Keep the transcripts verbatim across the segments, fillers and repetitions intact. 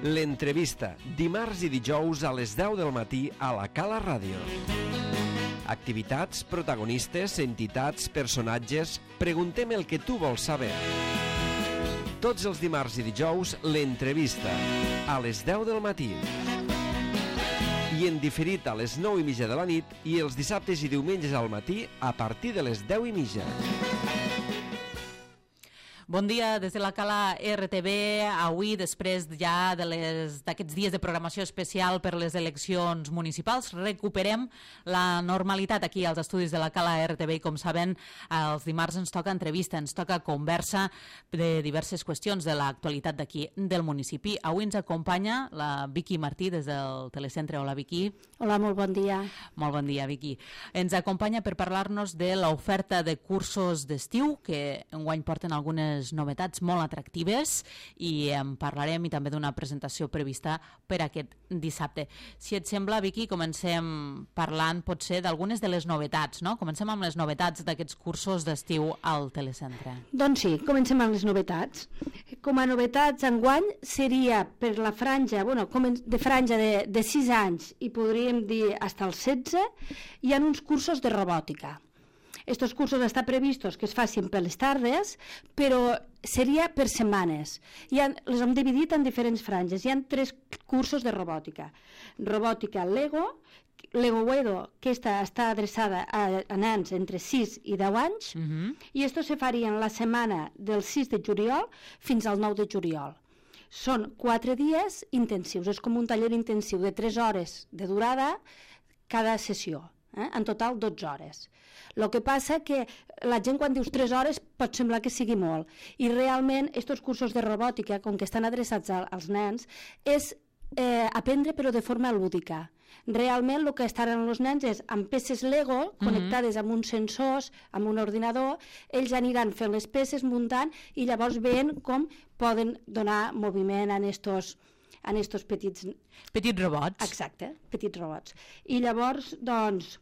L'entrevista, dimarts i dijous a les deu del matí a la Cala Ràdio. Activitats, protagonistes, entitats, personatges... Preguntem el que tu vols saber. Tots els dimarts i dijous, l'entrevista, a les deu del matí. I en diferit a les nou i mitja de la nit i els dissabtes i diumenges al matí a partir de les deu i mitja. Bon dia des de la Cala R T V. Avui, després ja d'aquests dies de programació especial per les eleccions municipals, recuperem la normalitat aquí als estudis de la Cala R T V. I com saben, els dimarts ens toca entrevista, ens toca conversa de diverses qüestions de l'actualitat d'aquí del municipi. Avui ens acompanya la Vicky Martí des del Telecentre. Hola, Vicky. Hola, molt bon dia. Molt bon dia, Vicky. Ens acompanya per parlar-nos de l'oferta de cursos d'estiu, que enguany porten algunes novetats molt atractives, i en parlarem, i també d'una presentació prevista per aquest dissabte. Si et sembla, Vicky, comencem parlant potser d'algunes de les novetats, no? Comencem amb les novetats d'aquests cursos d'estiu al Telecentre. Doncs sí, comencem amb les novetats. Com a novetats enguany seria per la franja, bueno, de franja de, de sis anys i podríem dir fins als setze, hi ha uns cursos de robòtica. Estos cursos estan previstos que es facin per les tardes, però seria per setmanes. I han, les hem dividit en diferents franges. Hi ha tres cursos de robòtica. Robòtica Lego, Lego Wedo, que esta està adreçada a, a nens entre sis i deu anys, uh-huh. i esto se faria en la setmana del sis de juliol fins al nou de juliol. Són quatre dies intensius, és com un taller intensiu de tres hores de durada cada sessió. Eh? En total dotze hores. El que passa que la gent quan dius tres hores pot semblar que sigui molt, i realment aquests cursos de robòtica, com que estan adreçats als nens, és eh, aprendre però de forma lúdica. Realment el que estaran els nens és amb peces Lego connectades amb uns sensors, amb un ordinador, ells aniran fent les peces, muntant, i llavors veient com poden donar moviment en estos en estos petits... Petits robots. Exacte, petits robots. I llavors, doncs,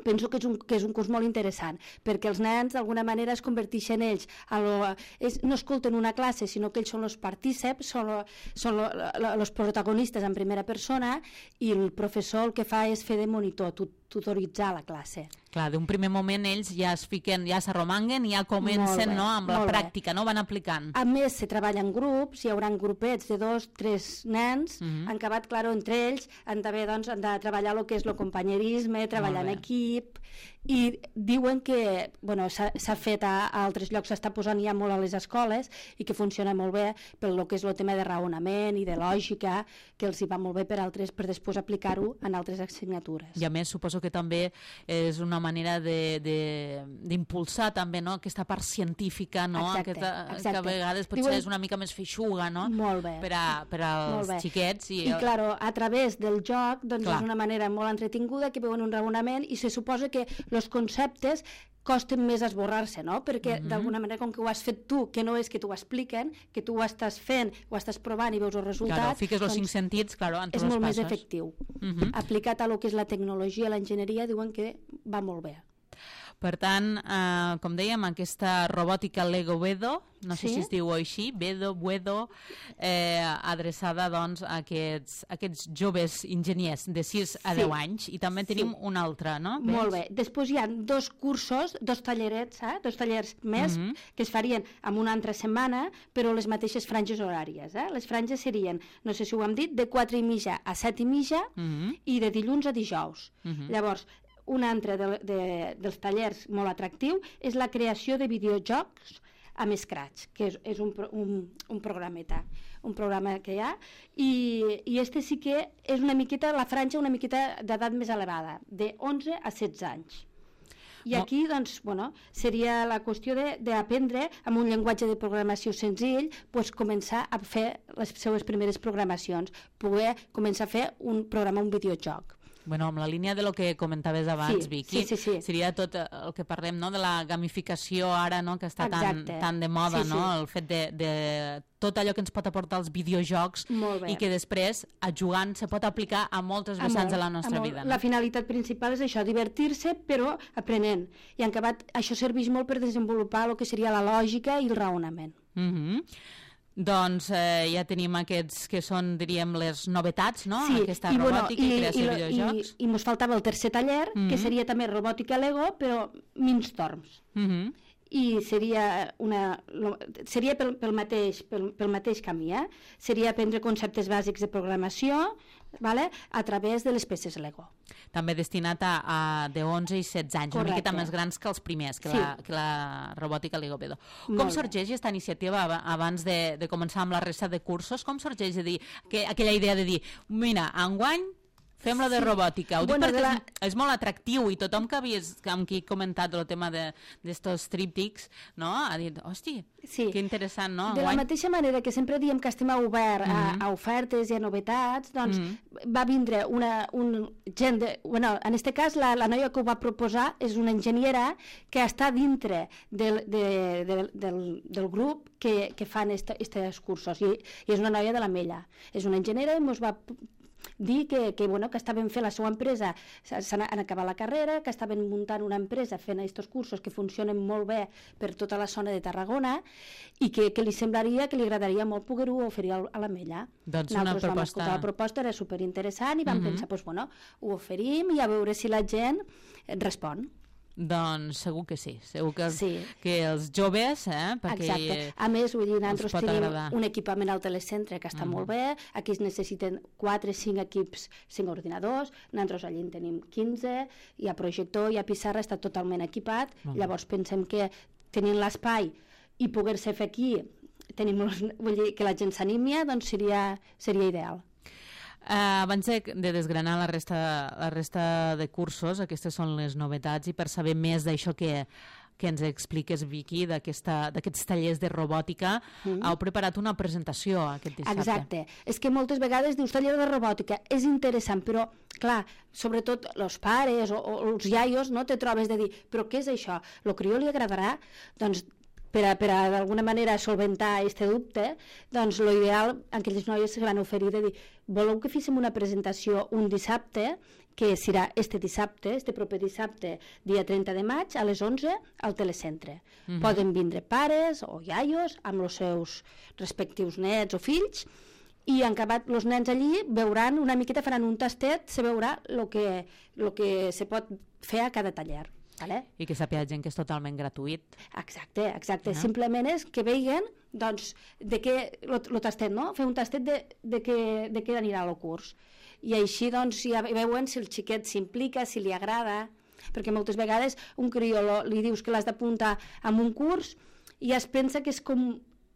penso que és un, que és un curs molt interessant, perquè els nens d'alguna manera es converteixen ells, a lo, és, no escolten una classe, sinó que ells són els partíceps, són els protagonistes en primera persona, i el professor el que fa és fer de monitor, tutoritzar la classe. Clar, d'un primer moment ells ja es fiquen, ja s'arromanguen i ja comencen, no, amb la pràctica, no? Van aplicant. A més, se treballa en grups, hi haurà grupets de dos, tres nens, uh-huh. han acabat, clar, entre ells, han de, doncs, han de treballar el que és el companyerisme, treballar en equip, i diuen que bueno, s'ha fet a, a altres llocs, s'està posant ja molt a les escoles i que funciona molt bé pel que és el tema de raonament i de lògica, que els hi va molt bé per altres, per després aplicar-ho en altres assignatures. I a més suposo que també és una manera d'impulsar també, no? Aquesta part científica, no? Exacte, Aquesta, exacte. que a vegades potser Diuen... és una mica més feixuga, no? Molt bé. Per, a, per als xiquets. I, I clar, a través del joc doncs, és una manera molt entretinguda que veuen un raonament, i se suposa que els conceptes costen més esborrar-se, no? Perquè uh-huh. d'alguna manera, com que ho has fet tu, que no és que t'ho expliquen, que tu ho estàs fent, ho estàs provant i veus els resultats... Claro, fiques els doncs, cinc sentits, claro, en tots és molt els més efectiu. Uh-huh. Aplicat a lo que és la tecnologia, l'enginyeria, diuen que va molt bé. Per tant, eh, com dèiem, aquesta robòtica Lego Wedo, no sé sí? si es diu així, Wedo, Wedo, eh, adreçada doncs, a aquests, a aquests joves enginyers de sis a deu sí. anys, i també tenim sí. un altre, no? Molt bé. Després hi ha dos cursos, dos tallerets, eh? dos tallers més, uh-huh. que es farien en una altra setmana, però les mateixes franges horàries. Eh? Les franges serien, no sé si ho hem dit, de quatre i mitja a set i mitja, uh-huh. i de dilluns a dijous. Uh-huh. Llavors, un altre de, de, dels tallers molt atractiu és la creació de videojocs amb Scratch, que és, és un, un, un programeta, un programa que hi ha, i, i este sí que és una miqueta, la franja una miqueta d'edat més elevada, de onze a setze anys. I aquí, doncs, bueno, seria la qüestió d'aprendre amb un llenguatge de programació senzill, pues, començar a fer les seues primeres programacions, poder començar a fer un programa, un videojoc. Bueno, amb la línia de lo que comentaves abans, sí, Vicky, sí, sí, sí. seria tot el que parlem, no?, de la gamificació ara, no?, que està tan, tan de moda, sí, sí. no?, el fet de, de tot allò que ens pot aportar els videojocs i que després, a jugant, se pot aplicar a moltes vessants de la nostra vida. No? La finalitat principal és això, divertir-se, però aprenent. I en acabat, això serveix molt per desenvolupar el que seria la lògica i el raonament. Mhm. Doncs eh, ja tenim aquests que són, diríem, les novetats, no? Sí, Aquesta i, robòtica bueno, i, i creació i, de videojocs. I, i mos faltava el tercer taller, mm -hmm. que seria també robòtica Lego, però Mindstorms. Mm -hmm. I seria, una, lo, seria pel, pel, mateix, pel, pel mateix camí, eh? Seria aprendre conceptes bàsics de programació, vale? A través de les peces Lego. També destinat a, a de onze i setze anys, Correcte. Una miqueta més grans que els primers, que, sí. la, que la robòtica Lego Pedo. Com sorgeix aquesta iniciativa abans de, de començar amb la resta de cursos? Com sorgeix de dir, que, aquella idea de dir, mira, enguany fem-la de robòtica? Ho dic bueno, perquè la... és, és molt atractiu i tothom que havies, amb qui he comentat el tema d'estos tríptics, no? Ha dit, hosti, sí. Que interessant, no? De la mateixa manera que sempre diem que estem obert mm-hmm. a, a ofertes i a novetats, doncs mm-hmm. va vindre una un gent de... Bueno, en aquest cas, la, la noia que ho va proposar és una enginyera que està dintre del, de, de, del, del grup que, que fan aquests cursos i, i és una noia de l'Ametlla. És una enginyera i ens va dir que, que, bueno, que estaven fent la seva empresa, han acabat la carrera, que estaven muntant una empresa fent aquests cursos que funcionen molt bé per tota la zona de Tarragona i que, que li semblaria, que li agradaria molt poder-ho oferir a l'Ametlla. Doncs una proposta... La proposta era superinteressant i vam uh-huh. pensar, doncs, bueno, ho oferim i a veure si la gent respon. Doncs segur que sí, segur que els, sí. que els joves, eh, perquè exacte. A més, vull dir, nosaltres tenim agradar. Un equipament al telecentre que està uh-huh. molt bé, aquí es necessiten quatre o cinc equips, cinc ordinadors, nosaltres allí en tenim quinze, hi ha projector, hi ha pissarra, està totalment equipat, uh-huh. llavors pensem que tenint l'espai i poder-se fer aquí, tenim, vull dir, que la gent s'animi, doncs seria, seria ideal. Uh, abans de, de desgranar la resta, la resta de cursos, aquestes són les novetats, i per saber més d'això que, que ens expliques, Vicky, d'aquests tallers de robòtica, mm. heu preparat una presentació aquest dissabte. Exacte. És que moltes vegades dius taller de robòtica, és interessant, però, clar, sobretot els pares o, o els iaios, no, te trobes de dir, però què és això? Lo crió li agradarà? Doncs per a, per a d'alguna manera solventar aquest dubte, doncs l'ideal, aquelles noies se van oferir de dir, voleu que féssim una presentació un dissabte, que serà este dissabte, este proper dissabte, dia trenta de maig, a les onze, al telecentre. Uh-huh. Poden vindre pares o iaios amb els seus respectius nets o fills, i en acabat els nens allí veuran una miqueta, faran un tastet, se veurà el que, lo que se pot fer a cada taller. Vale? I que sàpiga gent que és totalment gratuït. Exacte, exacte. No? Simplement és que vegin, doncs, de què, el tastet, no? Fer un tastet de, de, què, de què anirà el curs. I així, doncs, ja veuen si el xiquet s'implica, si li agrada, perquè moltes vegades un crió li dius que l'has d'apuntar en un curs i es pensa que és com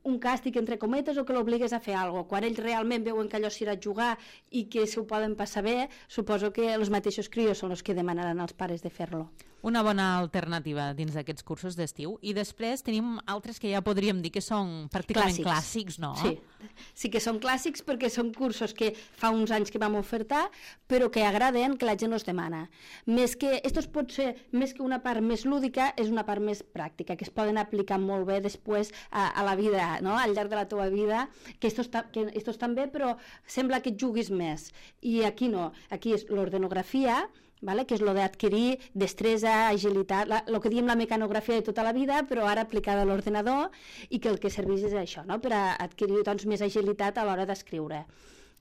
un càstig entre cometes o que l'obligues a fer alguna cosa. Quan ells realment veuen que allò s'irà a jugar i que s'ho poden passar bé, suposo que els mateixos crios són els que demanaran als pares de fer-lo. Una bona alternativa dins d'aquests cursos d'estiu. I després tenim altres que ja podríem dir que són pràcticament clàssics, clàssics no? Sí. sí que són clàssics perquè són cursos que fa uns anys que vam ofertar, però que agraden, que la gent els demana. Més que, estos pot ser, més que una part més lúdica, és una part més pràctica, que es poden aplicar molt bé després a, a la vida, no? Al llarg de la teva vida, que estos, que estos també, però sembla que et juguis més. I aquí no, aquí és l'ordenografia, vale? Que és el d'adquirir destresa, agilitat, el que diem la mecanografia de tota la vida, però ara aplicada a l'ordenador, i que el que serveix és això, no? Per a adquirir doncs, més agilitat a l'hora d'escriure.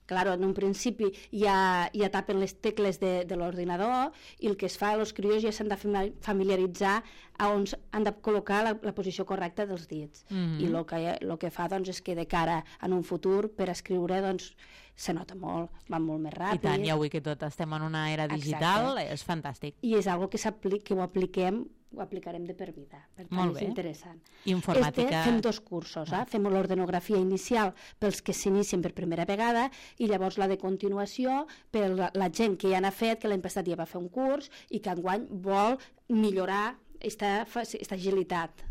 Claro, en un principi ja, ja tapen les tecles de, de l'ordinador i el que es fa, els crios ja s'han de familiaritzar a on han de col·locar la, la posició correcta dels dits. Mm-hmm. I el que, el que fa doncs, és que de cara en un futur per escriure doncs, se nota molt, va molt més ràpid. I tant, ja avui que tot estem en una era digital, exacte. És fantàstic. I és algo que, que ho apliquem ho aplicarem de per vida, per tant molt és bé. Interessant. Informàtica... Este fem dos cursos, eh? Fem l'ordenografia inicial pels que s'inicien per primera vegada i llavors la de continuació per la, la gent que ja n'ha fet, que l'any passat ja va fer un curs i que enguany vol millorar esta, esta agilitat.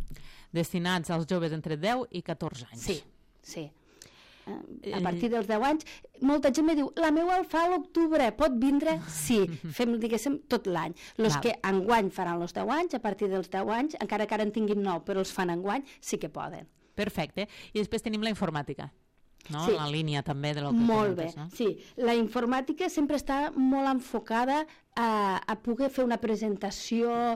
Destinats als joves entre deu i catorze anys. Sí, sí. A partir dels deu anys, molta gent me diu, la meva el fa a l'octubre, pot vindre? Sí, fem, diguéssim, tot l'any. Els que enguany faran els deu anys, a partir dels deu anys, encara que ara en tinguin nou, però els fan enguany, sí que poden. Perfecte. I després tenim la informàtica, no? Sí. La línia també de lo que molt comentes, bé, no? Sí. La informàtica sempre està molt enfocada a, a poder fer una presentació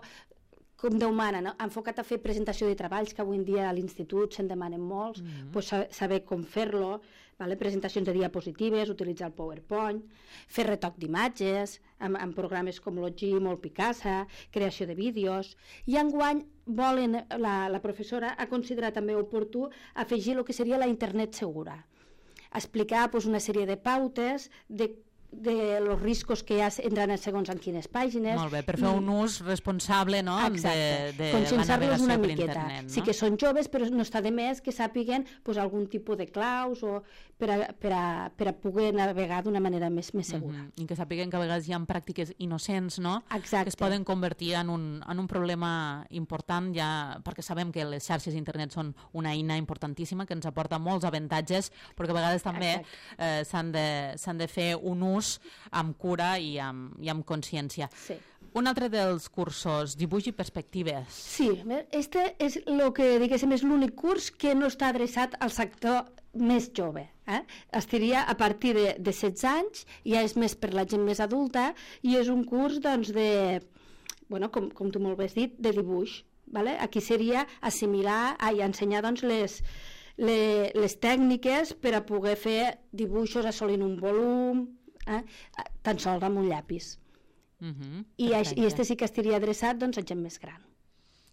com Déu mana, no? Enfocat a fer presentació de treballs, que avui en dia a l'institut se'n demanen molts, mm-hmm. pues, saber com fer-lo, vale? Presentacions de diapositives, utilitzar el PowerPoint, fer retoc d'imatges, amb, amb programes com Logic o el Picasa, creació de vídeos, i enguany volen, la, la professora ha considerat també oportú afegir el que seria la internet segura, explicar pues, una sèrie de pautes de de los riscos que hi ha entrant segons en quines pàgines. Molt bé, per fer un ús responsable, no? Exacte, de, de conscienciar-los una miqueta. Internet, no? Sí que són joves, però no està de més que sàpiguen pues, algun tipus de claus o per a, per a, per a poder navegar d'una manera més, més segura. Mm-hmm. I que sàpiguen que a vegades hi ha pràctiques innocents, no? Exacte. Que es poden convertir en un, en un problema important, ja perquè sabem que les xarxes d'internet són una eina importantíssima que ens aporta molts avantatges, però que a vegades també eh, s'han de, s'han de fer un ús amb cura i amb, i amb consciència. Sí. Un altre dels cursos, dibuix i perspectives. Sí, este és el que diguéssim és l'únic curs que no està adreçat al sector més jove. Eh? Estaria a partir de, de setze anys, ja és més per la gent més adulta, i és un curs doncs, de, bueno, com, com tu molt bé has dit, de dibuix. Vale? Aquí seria assimilar i ensenyar doncs, les, les, les tècniques per a poder fer dibuixos assolint un volum, eh? tan sols amb un llapis. Uh-huh, I, I este sí que estaria adreçat doncs, a gent més gran.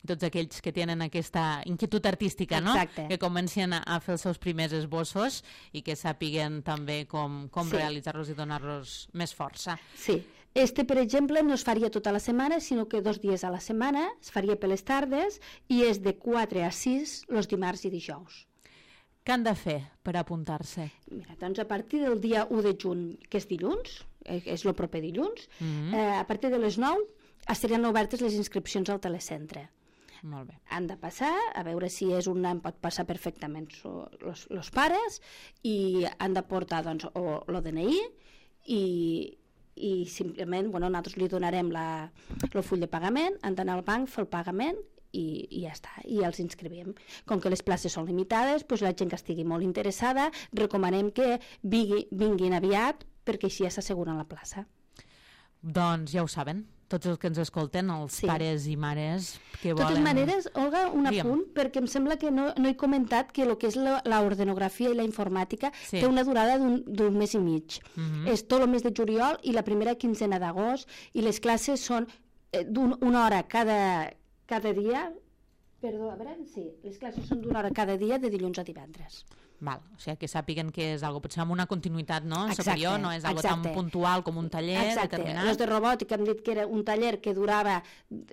Tots aquells que tenen aquesta inquietud artística, no? Exacte. Que comencen a fer els seus primers esbossos i que sàpiguen també com, com sí. realitzar-los i donar-los més força. Sí. Este, per exemple, no es faria tota la setmana, sinó que dos dies a la setmana, es faria per les tardes i és de quatre a sis els dimarts i dijous. Què han de fer per apuntar-se? Mira, doncs a partir del dia u de juny, que és dilluns, és el proper dilluns, mm-hmm. eh, a partir de les nou estaran obertes les inscripcions al telecentre. Molt bé. Han de passar, a veure si és un nen, pot passar perfectament els pares, i han de portar doncs, o el D N I i, i simplement bueno, nosaltres li donarem la, el full de pagament, han d'anar al banc, fer el pagament i, i ja està, i els inscrivim. Com que les places són limitades, doncs la gent que estigui molt interessada, recomanem que vingui, vinguin aviat perquè així ja s'asseguren la plaça. Doncs ja ho saben, tots els que ens escolten, els sí. pares i mares que volen... De totes maneres, Olga, un Digue'm. apunt, perquè em sembla que no, no he comentat que el que és l'ordenografia i la informàtica sí. té una durada d'un mes i mig. Mm-hmm. És tot el mes de juliol i la primera quinzena d'agost, i les classes són eh, d'una hora cada, cada dia, perdó, a veure, sí, les classes són d'una hora cada dia de dilluns a divendres. Val, o sigui que sàpiguen que és algo potser amb una continuïtat no? Exacte, superior, no és algo exacte. tan puntual com un taller exacte. determinat. Els de robòtica hem dit que era un taller que durava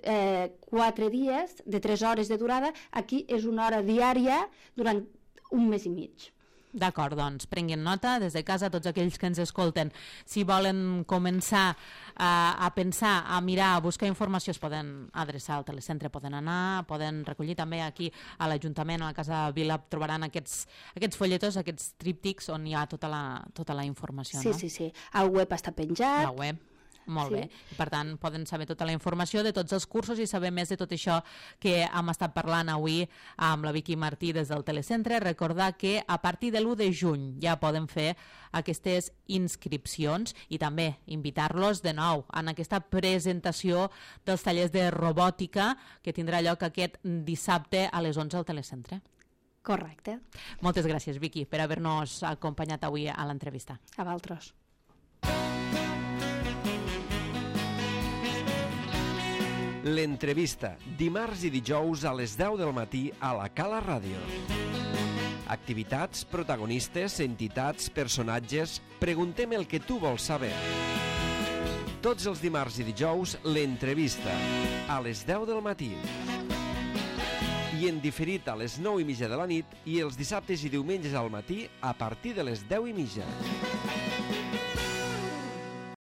eh, quatre dies, de tres hores de durada, aquí és una hora diària durant un mes i mig. D'acord, doncs prenguin nota des de casa tots aquells que ens escolten. Si volen començar a, a pensar, a mirar, a buscar informació, es poden adreçar al telecentre, poden anar, poden recollir també aquí a l'Ajuntament, a la Casa Vila, trobaran aquests, aquests folletos, aquests tríptics on hi ha tota la, tota la informació. Sí, no? sí, sí. El web està penjat. La web. Molt sí. bé. I, per tant, poden saber tota la informació de tots els cursos i saber més de tot això que hem estat parlant avui amb la Vicky Martí des del telecentre. Recordar que a partir de l'u de juny ja poden fer aquestes inscripcions i també invitar-los de nou en aquesta presentació dels tallers de robòtica que tindrà lloc aquest dissabte a les onze al telecentre. Correcte. Moltes gràcies, Vicky, per haver-nos acompanyat avui a l'entrevista. A vosaltres. L'entrevista, dimarts i dijous a les deu del matí a la Cala Ràdio. Activitats, protagonistes, entitats, personatges... Preguntem el que tu vols saber. Tots els dimarts i dijous, l'entrevista, a les deu del matí. I en diferit a les nou i mitja de la nit i els dissabtes i diumenges al matí a partir de les deu i mitja.